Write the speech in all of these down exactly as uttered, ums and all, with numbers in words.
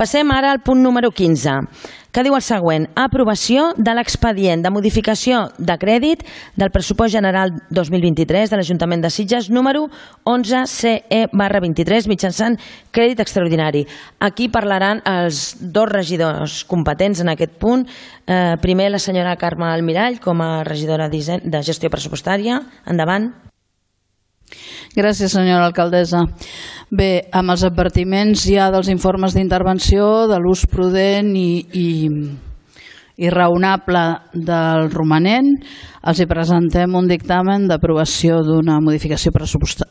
Passem ara al punt número quinze, que diu el següent: aprovació de l'expedient de modificació de crèdit del pressupost general dos mil vint-i-tres de l'Ajuntament de Sitges número onze C E barra vint-i-tres mitjançant crèdit extraordinari. Aquí parlaran els dos regidors competents en aquest punt. Eh, primer la senyora Carme Almirall com a regidora de gestió pressupostària. Endavant. Gràcies, senyora alcaldessa. Bé, amb els advertiments ja dels informes d'intervenció, de l'ús prudent i, i, i raonable del romanent, els hi presentem un dictamen d'aprovació d'una modificació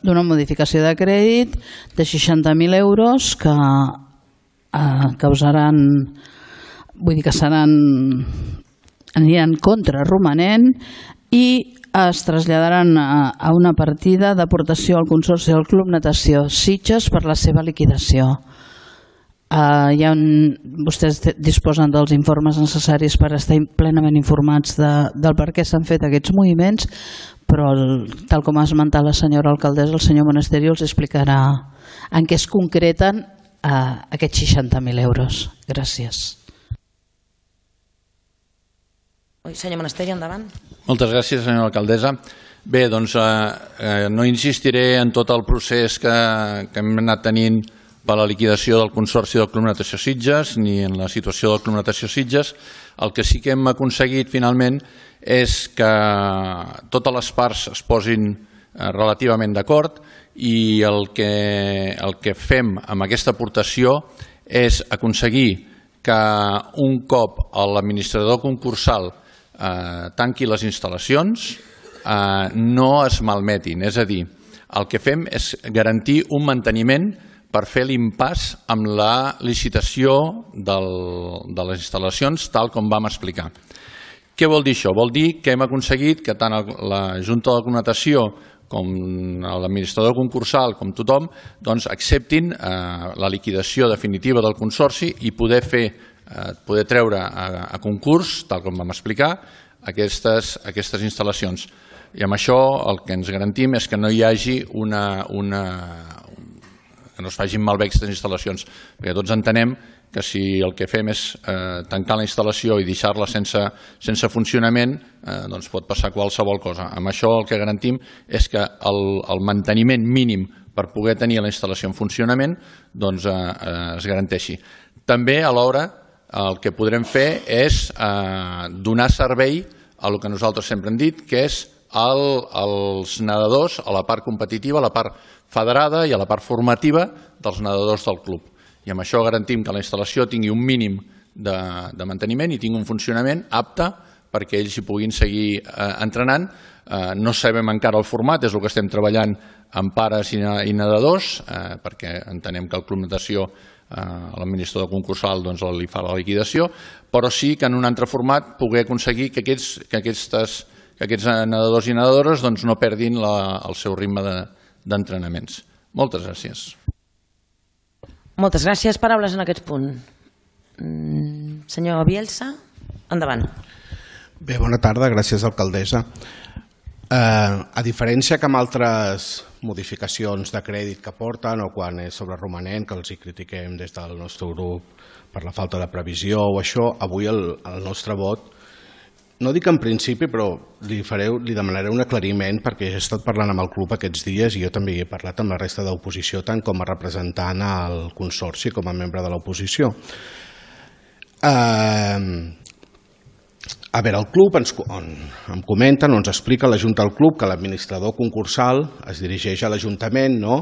d'una modificació de crèdit de seixanta mil euros que eh, causaran, vull dir que seran, aniran contra romanent i es traslladaran a una partida d'aportació al Consorci del Club Natació Sitges per la seva liquidació. Uh, ja un, vostès disposen dels informes necessaris per estar plenament informats de, del per què s'han fet aquests moviments, però el, tal com ha esmentat la senyora alcaldessa, el senyor Monasterio els explicarà en què es concreten uh, aquests seixanta mil euros. Gràcies. Senyor Monasterio, endavant. Moltes gràcies, senyora alcaldessa. Bé, doncs eh, eh, no insistiré en tot el procés que, que hem anat tenint per la liquidació del Consorci del Club Natació Sitges ni en la situació del Club Natació Sitges. El que sí que hem aconseguit finalment és que totes les parts es posin eh, relativament d'acord i el que, el que fem amb aquesta aportació és aconseguir que un cop l'administrador concursal Eh, tanqui les instal·lacions, eh, no es malmetin. És a dir, el que fem és garantir un manteniment per fer l'impàs amb la licitació del, de les instal·lacions tal com vam explicar. Què vol dir això? Vol dir que hem aconseguit que tant la Junta de Connotació com l'administrador concursal, com tothom, doncs acceptin eh, la liquidació definitiva del consorci i poder fer poder treure a, a concurs, tal com vam explicar, aquestes, aquestes instal·lacions. I amb això el que ens garantim és que no hi hagi una... una que no es facin malbé aquestes instal·lacions, perquè tots entenem que si el que fem és eh, tancar la instal·lació i deixar-la sense, sense funcionament, eh, doncs pot passar qualsevol cosa. Amb això el que garantim és que el, el manteniment mínim per poder tenir la instal·lació en funcionament doncs, eh, eh, es garanteixi. També alhora el que podrem fer és eh, donar servei a el que nosaltres sempre hem dit, que és el, els nedadors, a la part competitiva, a la part federada i a la part formativa dels nedadors del club. I amb això garantim que la instal·lació tingui un mínim de, de manteniment i tingui un funcionament apte perquè ells hi puguin seguir eh, entrenant. Eh, no sabem encara el format, és el que estem treballant amb pares i, i nedadors, eh, perquè entenem que el Club Natació l'administrador concursal doncs, li fa la liquidació, però sí que en un altre format poder aconseguir que aquests, que aquestes, que aquests nedadors i nedadores doncs, no perdin la, el seu ritme d'entrenaments. De, Moltes gràcies. Moltes gràcies. Paraules en aquest punt. Mm, senyor Bielsa, endavant. Bé, bona tarda. Gràcies, alcaldessa. Eh, a diferència que amb altres modificacions de crèdit que porten o quan és sobre romanent, que els hi critiquem des del nostre grup per la falta de previsió o això, avui el, el nostre vot, no dic en principi, però li, fareu, li demanaré un aclariment perquè he estat parlant amb el club aquests dies i jo també he parlat amb la resta d'oposició, tant com a representant al consorci com a membre de l'oposició. Eh... A veure, el club ens, em comenten o ens explica la Junta del Club que l'administrador concursal es dirigeix a l'Ajuntament, no?,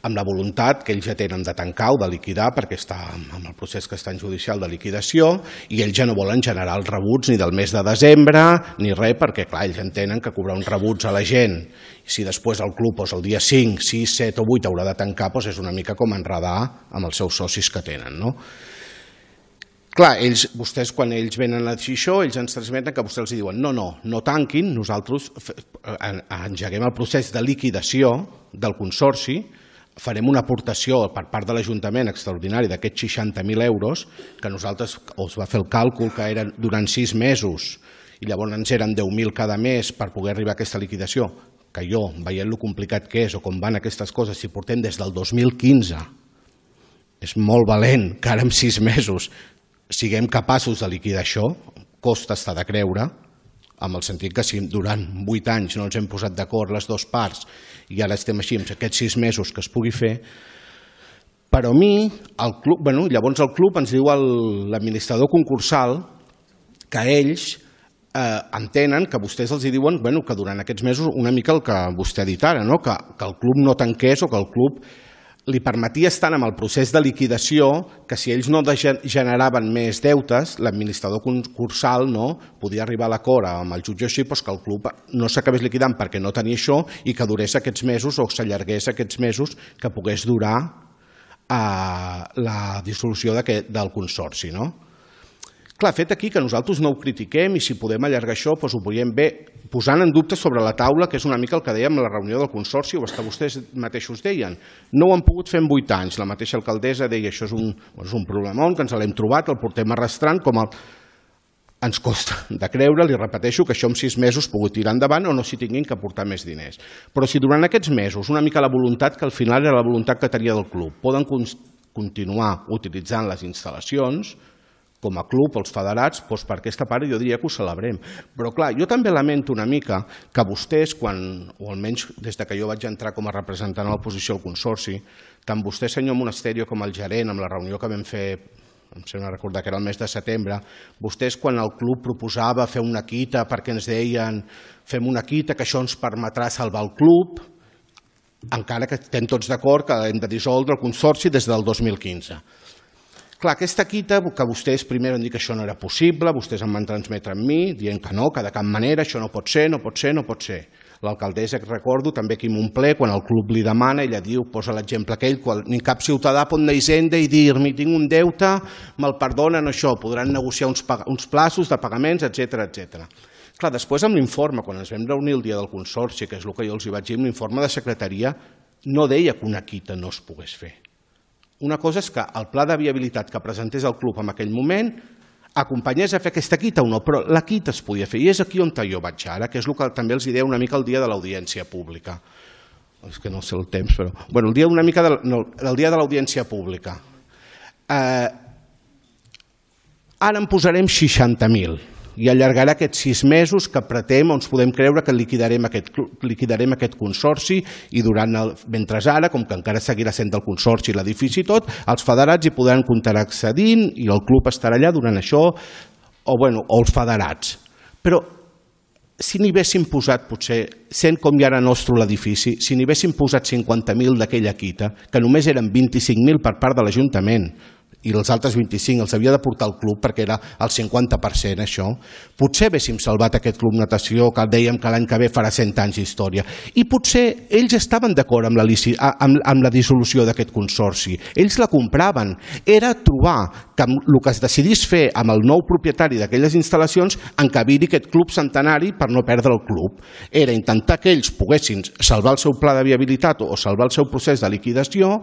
amb la voluntat que ells ja tenen de tancar o de liquidar perquè està en el procés que està en judicial de liquidació i ells ja no volen generar els rebuts ni del mes de desembre ni res perquè, clar, ells entenen que cobrar uns rebuts a la gent i si després el club doncs, el dia cinc, sis, set o vuit haurà de tancar doncs és una mica com enredar amb els seus socis que tenen, no? Clar, ells, vostès quan ells venen a dir això, ells ens transmeten que vostès els diuen no, no, no tanquin, nosaltres engeguem el procés de liquidació del consorci, farem una aportació per part de l'Ajuntament extraordinari d'aquests seixanta mil euros, que nosaltres us va fer el càlcul que eren durant sis mesos i llavors eren deu mil cada mes per poder arribar a aquesta liquidació, que jo, veient lo complicat que és o com van aquestes coses, si portem des del dos mil quinze és molt valent que ara en sis mesos siguem capaços de liquidar això, costa estar de creure, amb el sentit que si durant vuit anys no ens hem posat d'acord les dues parts i ara estem així, amb aquests sis mesos que es pugui fer, però a mi, el club, bueno, llavors el club ens diu l'administrador concursal que ells eh, entenen que vostès els diuen bueno, que durant aquests mesos una mica el que vostè ha dit ara, no? que, que el club no tanqués o que el club li permetia estar en el procés de liquidació, que si ells no generaven més deutes, l'administrador concursal no, podia arribar a l'acord amb el jutge així doncs que el club no s'acabés liquidant perquè no tenia això i que durés aquests mesos o s'allargués aquests mesos que pogués durar eh, la dissolució del consorci. No? Clar, fet aquí que nosaltres no ho critiquem i si podem allargar això doncs ho veiem bé, posant en dubte sobre la taula, que és una mica el que dèiem a la reunió del Consorci, o que vostès mateixos deien. No ho han pogut fer en vuit anys. La mateixa alcaldessa deia això és un, és un problemón, que ens l'hem trobat, el portem arrastrant, com el... ens costa de creure, li repeteixo, que això en sis mesos pugui tirar endavant o no s'hi tinguin que aportar més diners. Però si durant aquests mesos, una mica la voluntat, que al final era la voluntat que tenia del club, poden continuar utilitzant les instal·lacions, com a club, els federats, doncs per aquesta part jo diria que ho celebrem. Però clar, jo també lamento una mica que vostès, quan, o almenys des que jo vaig entrar com a representant a l'oposició al Consorci, tant vostè, senyor Monasterio, com el gerent, amb la reunió que vam fer, em sembla recordar que era el mes de setembre, vostès quan el club proposava fer una quita perquè ens deien fem una quita que això ens permetrà salvar el club, encara que estem tots d'acord que hem de dissoldre el Consorci des del dos mil quinze. Clar, aquesta quita, que vostès primer van dir que això no era possible, vostès em van transmetre amb mi, dient que no, que de cap manera això no pot ser, no pot ser, no pot ser. L'alcaldessa, que recordo, també aquí en un ple, quan el club li demana, ella diu, posa l'exemple aquell, quan ni cap ciutadà pot anar a Hisenda i dir-me tinc un deute, me'l perdonen això, podran negociar uns, uns plaços de pagaments, etcètera, etcètera. Clar, després amb l'informe, quan ens vam reunir el dia del Consorci, que és el que jo els hi vaig dir, l'informe de secretaria no deia que una quita no es pogués fer. Una cosa és que el pla de viabilitat que presentés el club en aquell moment acompanyés a fer aquesta quita o no, però la quita es podia fer. I és aquí on jo vaig ara, que és el que també els deia una mica el dia de l'audiència pública. És que no sé el temps, però... Bueno, el dia una mica de, no, el dia de l'audiència pública. Eh, ara en posarem seixanta mil i allargarà aquests sis mesos que pretem on ens podem creure que liquidarem aquest, liquidarem aquest consorci i durant el, mentre ara, com que encara seguirà sent del consorci l'edifici i tot, els federats hi podran continuar accedint i el club estarà allà durant això, o, bueno, o els federats. Però si n'hi haguéssim posat, potser, sent com ja era nostre l'edifici, si n'hi haguéssim posat cinquanta mil d'aquella quita, que només eren vint-i-cinc mil per part de l'Ajuntament, i els altres vint-i-cinc els havia de portar el club perquè era el cinquanta per cent això, potser haguéssim salvat aquest club natació que dèiem que l'any que ve farà cent anys d'història. I potser ells estaven d'acord amb, amb, amb la dissolució d'aquest consorci. Ells la compraven. Era trobar que el que es decidís fer amb el nou propietari d'aquelles instal·lacions encabir aquest club centenari per no perdre el club. Era intentar que ells poguessin salvar el seu pla de viabilitat o salvar el seu procés de liquidació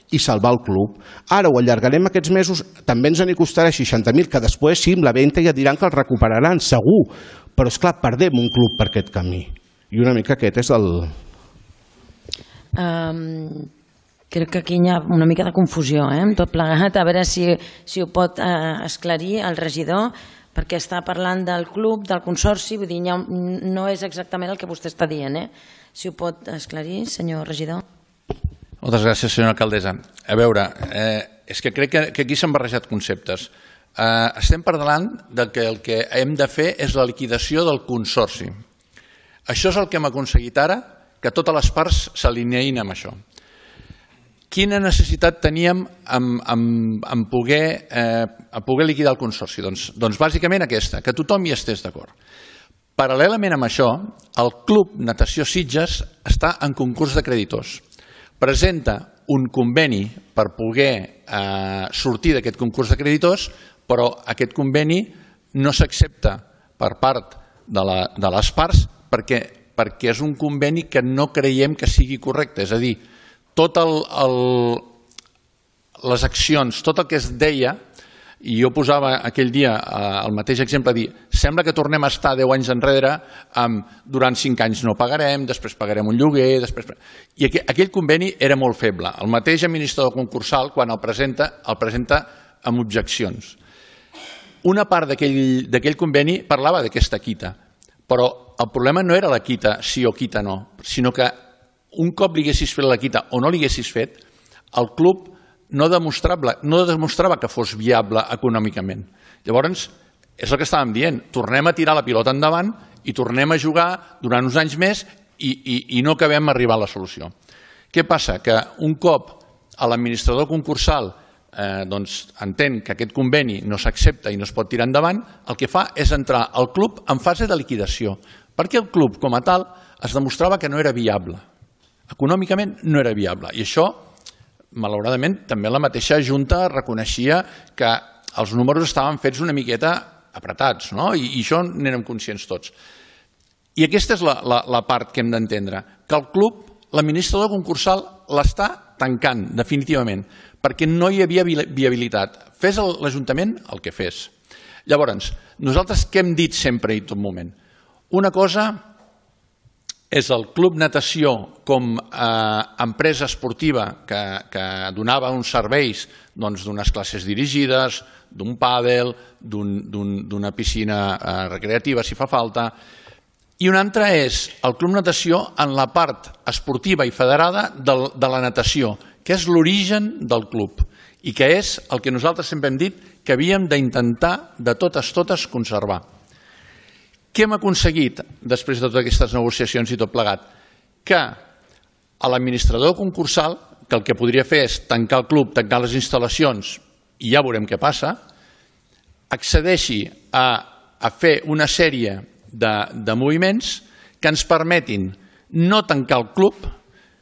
i salvar el club. Ara ho allargarem aquests mesos, també ens en costarà seixanta mil, que després sí, amb la venda ja diran que el recuperaran, segur, però esclar, perdem un club per aquest camí. I una mica aquest és el... Um, crec que aquí hi ha una mica de confusió, eh, amb tot plegat, a veure si, si ho pot uh, esclarir el regidor, perquè està parlant del club, del consorci, vull dir, ha, no és exactament el que vostè està dient, eh? Si ho pot esclarir, senyor regidor. Moltes gràcies, senyora alcaldessa. A veure, eh, és que crec que, que aquí s'han barrejat conceptes. Eh, estem parlant de que el que hem de fer és la liquidació del consorci. Això és el que hem aconseguit ara, que totes les parts s'alineïn amb això. Quina necessitat teníem en, en, en poder, eh, en poder liquidar el consorci? Doncs, doncs bàsicament aquesta, que tothom hi estés d'acord. Paral·lelament amb això, el Club Natació Sitges està en concurs de creditors. Presenta un conveni per poder eh, sortir d'aquest concurs de creditors, però aquest conveni no s'accepta per part de, la, de les parts perquè, perquè és un conveni que no creiem que sigui correcte. És a dir, tot el, el, les accions, tot el que es deia I jo posava aquell dia el mateix exemple, dir, sembla que tornem a estar deu anys enrere, durant cinc anys no pagarem, després pagarem un lloguer, després... I aquell conveni era molt feble. El mateix administrador concursal, quan el presenta, el presenta amb objeccions. Una part d'aquell conveni parlava d'aquesta quita, però el problema no era la quita sí o quita no, sinó que un cop li haguessis fet la quita o no li haguessis fet, el club no demostrava, no demostrava que fos viable econòmicament. Llavors, és el que estàvem dient, tornem a tirar la pilota endavant i tornem a jugar durant uns anys més i, i, i no acabem d'arribar a la solució. Què passa? Que un cop l'administrador concursal eh, doncs, entén que aquest conveni no s'accepta i no es pot tirar endavant, el que fa és entrar al club en fase de liquidació, perquè el club com a tal es demostrava que no era viable. Econòmicament no era viable i això malauradament, també la mateixa Junta reconeixia que els números estaven fets una miqueta apretats, no? I, i això n'érem conscients tots. I aquesta és la, la, la part que hem d'entendre, que el club, l'administrador concursal, l'està tancant definitivament, perquè no hi havia viabilitat. Fes l'Ajuntament el que fes. Llavors, nosaltres què hem dit sempre i tot moment? Una cosa és el Club Natació com a empresa esportiva que, que donava uns serveis d'unes classes dirigides, d'un pàdel, d'una piscina recreativa, si fa falta, i una altra és el Club Natació en la part esportiva i federada de la natació, que és l'origen del club i que és el que nosaltres sempre hem dit que havíem d'intentar de totes totes conservar. Què hem aconseguit després de totes aquestes negociacions i tot plegat? Que l'administrador concursal, que el que podria fer és tancar el club, tancar les instal·lacions i ja veurem què passa, accedeixi a, a fer una sèrie de, de moviments que ens permetin no tancar el club,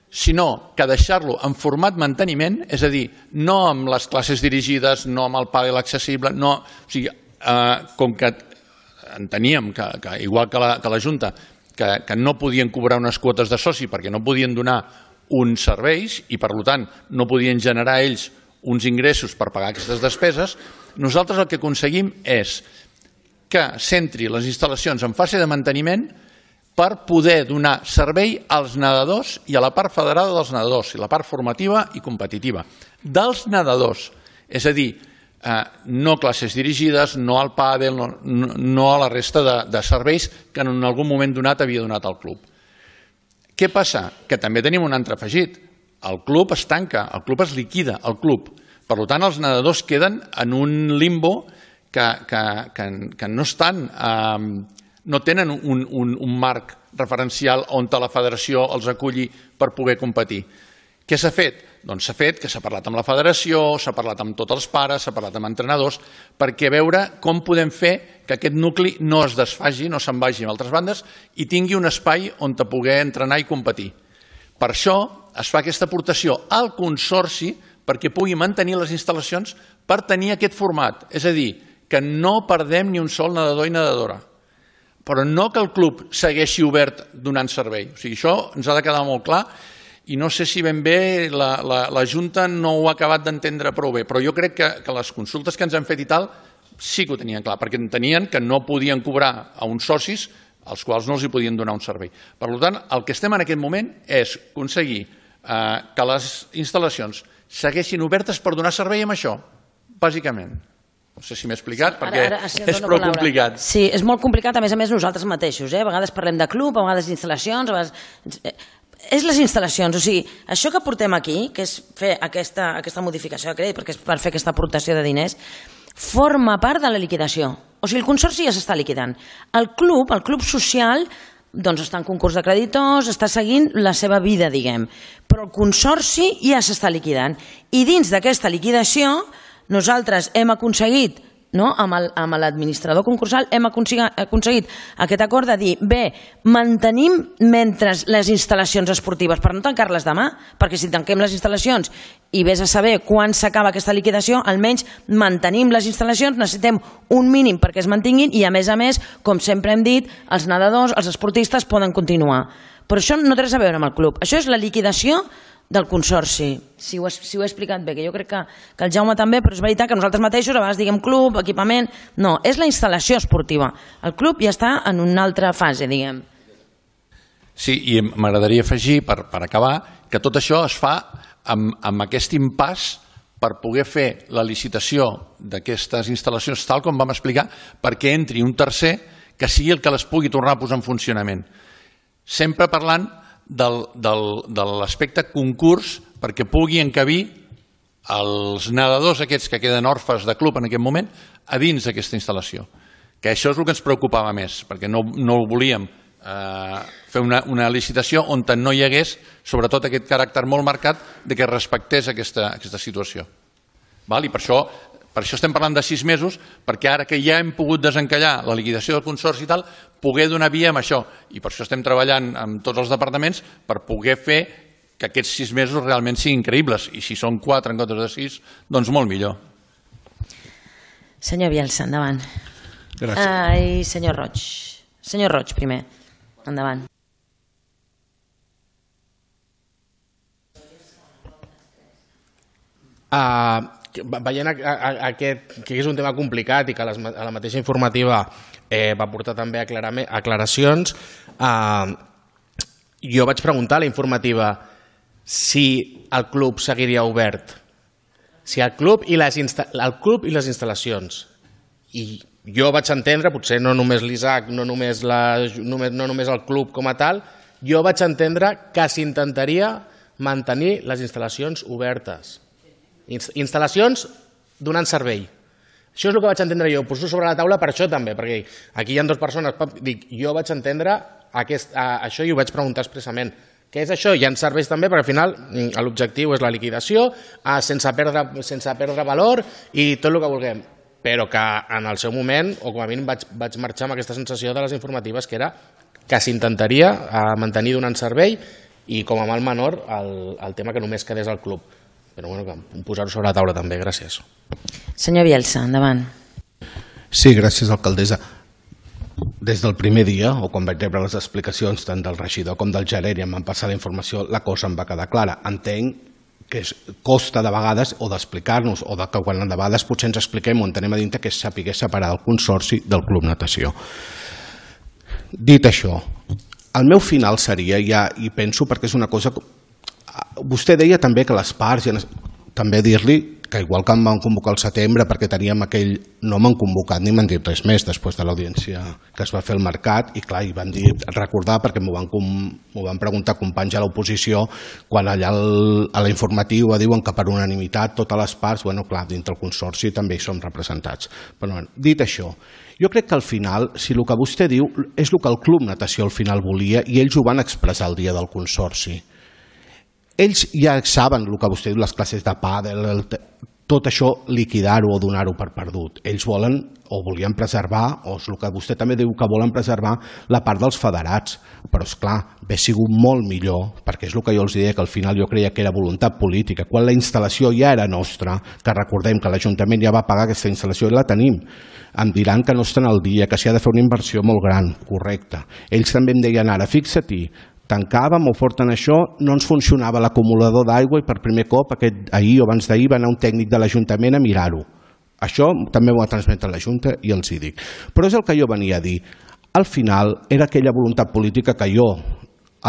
sinó que deixar-lo en format manteniment, és a dir, no amb les classes dirigides, no amb el pàdel accessible, no, o sigui, eh, com que enteníem que, que igual que la, que la Junta, que, que no podien cobrar unes quotes de soci perquè no podien donar uns serveis i per tant no podien generar ells uns ingressos per pagar aquestes despeses, nosaltres el que aconseguim és que centri les instal·lacions en fase de manteniment per poder donar servei als nedadors i a la part federada dels nedadors, i la part formativa i competitiva dels nedadors, és a dir, Eh, no classes dirigides, no al pàdel, no, no a la resta de, de serveis que en algun moment donat havia donat al club. Què passa? Que també tenim un altre afegit. El club es tanca, el club es liquida, el club. Per tant, els nedadors queden en un limbo que, que, que, que no estan, eh, no tenen un, un, un marc referencial on la federació els aculli per poder competir. Què s'ha fet? Doncs s'ha fet que s'ha parlat amb la federació, s'ha parlat amb tots els pares, s'ha parlat amb entrenadors, perquè veure com podem fer que aquest nucli no es desfagi, no se'n vagi a altres bandes i tingui un espai on te poder entrenar i competir. Per això es fa aquesta aportació al consorci perquè pugui mantenir les instal·lacions per tenir aquest format, és a dir, que no perdem ni un sol nedador i nedadora, però no que el club segueixi obert donant servei. O sigui, això ens ha de quedar molt clar. I no sé si ben bé la, la, la Junta no ho ha acabat d'entendre prou bé, però jo crec que, que les consultes que ens han fet i tal sí que ho tenien clar, perquè entenien que no podien cobrar a uns socis als quals no els hi podien donar un servei. Per tant, el que estem en aquest moment és aconseguir eh, que les instal·lacions segueixin obertes per donar servei amb això, bàsicament. No sé si m'he explicat, perquè ara, ara, sí, és prou complicat. Sí, és molt complicat, a més a més nosaltres mateixos. Eh? A vegades parlem de club, a vegades d'instal·lacions, a vegades... És les instal·lacions, o sigui, això que portem aquí, que és fer aquesta, aquesta modificació de crèdit, perquè és per fer aquesta aportació de diners, forma part de la liquidació. O sigui, el consorci ja s'està liquidant. El club, el club social, doncs està en concurs de creditors, està seguint la seva vida, diguem. Però el consorci ja s'està liquidant. I dins d'aquesta liquidació, nosaltres hem aconseguit, no? amb l'administrador concursal hem aconseguit aquest acord de dir, bé, mantenim mentre les instal·lacions esportives, per no tancar-les demà, perquè si tanquem les instal·lacions i vés a saber quan s'acaba aquesta liquidació, almenys mantenim les instal·lacions, necessitem un mínim perquè es mantinguin i a més a més, com sempre hem dit, els nedadors, els esportistes poden continuar. Però això no té res a veure amb el club, això és la liquidació del Consorci. Si ho, si ho he explicat bé, que jo crec que, que el Jaume també, però és veritat que nosaltres mateixos a vegades diguem club, equipament... No, és la instal·lació esportiva. El club ja està en una altra fase, diguem. Sí, i m'agradaria afegir, per, per acabar, que tot això es fa amb, amb aquest impàs per poder fer la licitació d'aquestes instal·lacions tal com vam explicar, perquè entri un tercer que sigui el que les pugui tornar a posar en funcionament. Sempre parlant del, del, de l'aspecte concurs perquè pugui encabir els nedadors aquests que queden orfes de club en aquest moment a dins d'aquesta instal·lació. Que això és el que ens preocupava més, perquè no, no volíem eh, fer una, una licitació on no hi hagués sobretot aquest caràcter molt marcat de que respectés aquesta, aquesta situació. Val? I per això, per això estem parlant de sis mesos, perquè ara que ja hem pogut desencallar la liquidació del consorci i tal, poder donar via amb això. I per això estem treballant amb tots els departaments per poder fer que aquests sis mesos realment siguin creïbles. I si són quatre en comptes de sis, doncs molt millor. Senyor Bielsa, endavant. Gràcies. Ai, senyor Roig. Senyor Roig, primer. Endavant. Uh, veient a, a, a aquest, que és un tema complicat i que les, a la mateixa informativa eh, va portar també aclaracions, uh, jo vaig preguntar a la informativa si el club seguiria obert, si el club i les, el club i les instal·lacions. I jo vaig entendre, potser no només l'Isaac, no, només la, només, no només el club com a tal, jo vaig entendre que s'intentaria mantenir les instal·lacions obertes. Instal·lacions donant servei. Això és el que vaig entendre jo. Ho poso sobre la taula per això també, perquè aquí hi ha dues persones. Dic, jo vaig entendre aquest, a, això i ho vaig preguntar expressament. Què és això? Hi ha serveis també, perquè al final l'objectiu és la liquidació a, sense, perdre, sense perdre valor i tot el que vulguem. Però que en el seu moment, o com a mínim vaig, vaig marxar amb aquesta sensació de les informatives, que era que s'intentaria mantenir donant servei i com a mal menor el, el tema que només quedés al club. Però bueno, posar-ho sobre la taula també, gràcies. Senyor Bielsa, endavant. Sí, gràcies, alcaldessa. Des del primer dia, o quan vaig rebre les explicacions tant del regidor com del gerent i em van passar la informació, la cosa em va quedar clara. Entenc que es costa de vegades o d'explicar-nos o de que quan de vegades potser ens expliquem o entenem a dintre que és saber separar el consorci del club natació. Dit això, el meu final seria, ja, i penso perquè és una cosa... Vostè deia també que les parts, també dir-li que igual que em van convocar al setembre perquè teníem aquell... No m'han convocat ni m'han dit res més després de l'audiència que es va fer al mercat i clar, i van dir, recordar perquè m'ho van, van preguntar companys a l'oposició quan allà el, a la informativa diuen que per unanimitat totes les parts, bueno clar, dintre el consorci també hi som representats. Però bueno, dit això, jo crec que al final, si el que vostè diu és el que el Club Natació al final volia i ells ho van expressar el dia del consorci. Ells ja saben el que vostè diu, les classes de pàdel, tot això liquidar-ho o donar-ho per perdut. Ells volen o volien preservar, o és el que vostè també diu que volen preservar, la part dels federats. Però és clar, hauria sigut molt millor, perquè és el que jo els deia, que al final jo creia que era voluntat política. Quan la instal·lació ja era nostra, que recordem que l'Ajuntament ja va pagar aquesta instal·lació i la tenim, em diran que no estan al dia, que s'hi ha de fer una inversió molt gran, correcte. Ells també em deien ara, fixa-t'hi, tancàvem o porten això, no ens funcionava l'acumulador d'aigua i per primer cop aquest, ahir o abans d'ahir va anar un tècnic de l'Ajuntament a mirar-ho. Això també ho va transmetre la Junta i els hi dic. Però és el que jo venia a dir. Al final era aquella voluntat política que jo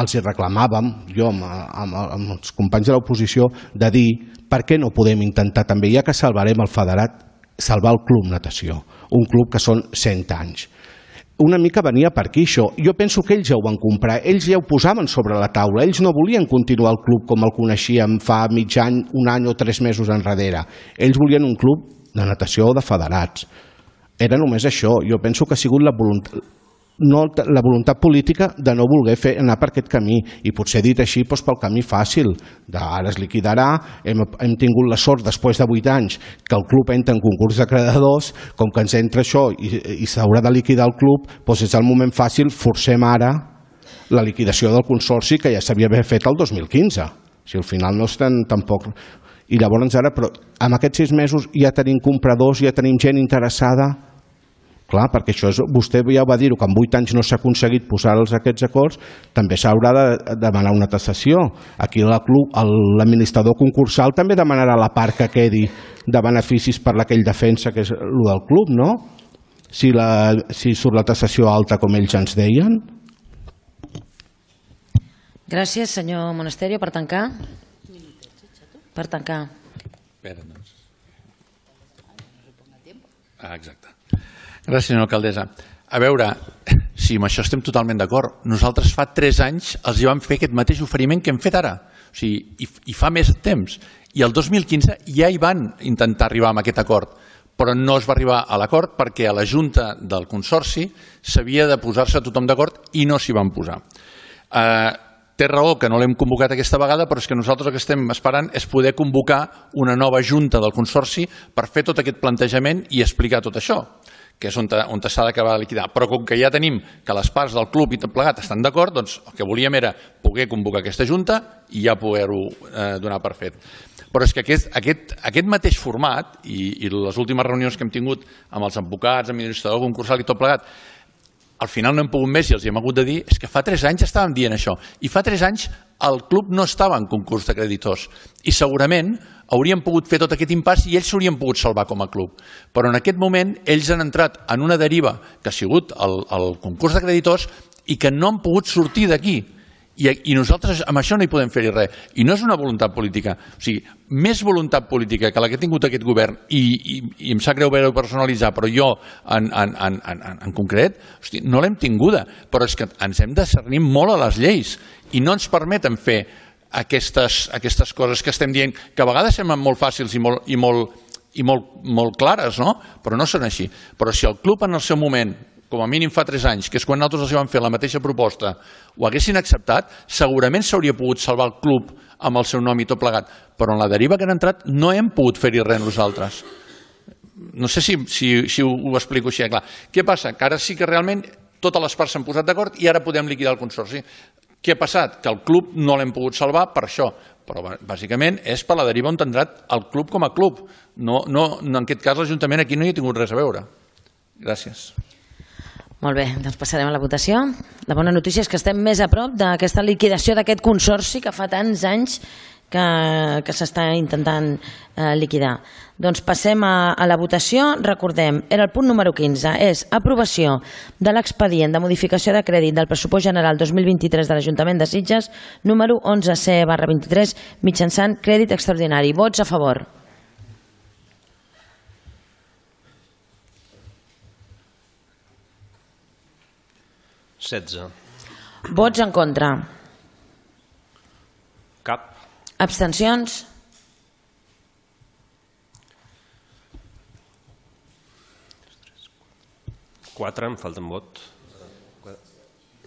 els hi reclamàvem, jo amb, amb, amb els companys de l'oposició, de dir per què no podem intentar també, ja que salvarem el federat, salvar el Club Natació, un club que són cent anys. Una mica venia per aquí això. Jo penso que ells ja ho van comprar, ells ja ho posaven sobre la taula, ells no volien continuar el club com el coneixíem fa mig any, un any o tres mesos enrere. Ells volien un club de natació o de federats. Era només això. Jo penso que ha sigut la voluntat, no, la voluntat política de no voler fer, anar per aquest camí. I potser dit així doncs, pel camí fàcil. De, ara es liquidarà, hem, hem tingut la sort després de vuit anys que el club entra en concurs de creditors, com que ens entra això i, i s'haurà de liquidar el club, doncs és el moment fàcil, forcem ara la liquidació del consorci que ja s'havia fet el dos mil quinze. Si al final no estan tampoc... I llavors ara, però amb aquests sis mesos ja tenim compradors, ja tenim gent interessada. Clar, perquè això és, vostè ja va dir-ho, que en vuit anys no s'ha aconseguit posar aquests acords, també s'haurà de demanar una tasació. Aquí l'administrador concursal també demanarà la part que quedi de beneficis per la que ell defensa, que és el del club, no? Si, la, si surt la tasació alta, com ells ens deien. Gràcies, senyor Monasterio. Per tancar? Per tancar. Espera, doncs. Ah, exacte. Gràcies, senyora alcaldessa. A veure, si amb això estem totalment d'acord. Nosaltres fa tres anys els hi vam fer aquest mateix oferiment que hem fet ara. O sigui, i, i fa més temps. I el dos mil quinze ja hi van intentar arribar a aquest acord, però no es va arribar a l'acord perquè a la Junta del Consorci s'havia de posar-se tothom d'acord i no s'hi van posar. Eh, té raó que no l'hem convocat aquesta vegada, però és que nosaltres el que estem esperant és poder convocar una nova Junta del Consorci per fer tot aquest plantejament i explicar tot això, que és on, on s'ha d'acabar de liquidar. Però com que ja tenim que les parts del club i tot plegat estan d'acord, doncs el que volíem era poder convocar aquesta Junta i ja poder-ho eh, donar per fet. Però és que aquest, aquest, aquest mateix format i, i les últimes reunions que hem tingut amb els advocats, administrador concursal i tot plegat, al final no hem pogut més i els hi hem hagut de dir és que fa tres anys estàvem dient això i fa tres anys el club no estava en concurs de creditors i segurament haurien pogut fer tot aquest impàs i ells s'haurien pogut salvar com a club. Però en aquest moment ells han entrat en una deriva que ha sigut el, el concurs de creditors i que no han pogut sortir d'aquí. I, I nosaltres amb això no hi podem fer-hi res. I no és una voluntat política. O sigui, més voluntat política que la que ha tingut aquest govern, i, i, i em sap greu veure-ho personalitzar, però jo en, en, en, en, en concret, hosti, no l'hem tinguda. Però és que ens hem de cernir molt a les lleis i no ens permeten fer aquestes, aquestes coses que estem dient, que a vegades semblen molt fàcils i molt, i molt, i molt, molt clares, no? Però no són així. Però si el club en el seu moment, com a mínim fa tres anys, que és quan nosaltres els vam fer la mateixa proposta, ho haguessin acceptat, segurament s'hauria pogut salvar el club amb el seu nom i tot plegat. Però en la deriva que han entrat no hem pogut fer-hi res nosaltres. No sé si, si, si ho, ho explico així, clar. Què passa? Que ara sí que realment totes les parts s'han posat d'acord i ara podem liquidar el consorci. Què ha passat? Que el club no l'hem pogut salvar per això. Però bàsicament és per la deriva on ha entrat el club com a club. No, no, en aquest cas l'Ajuntament aquí no hi ha tingut res a veure. Gràcies. Molt bé, doncs passarem a la votació. La bona notícia és que estem més a prop d'aquesta liquidació d'aquest consorci que fa tants anys que, que s'està intentant eh, liquidar. Doncs passem a, a la votació. Recordem, era el punt número quinze, és aprovació de l'expedient de modificació de crèdit del pressupost general dos mil vint-i-tres de l'Ajuntament de Sitges, número onze C barra vint-i-tres, mitjançant crèdit extraordinari. Vots a favor. setze. Vots en contra. Cap. Abstencions. quatre, em falta un vot.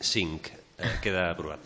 cinc. Eh, queda aprovat.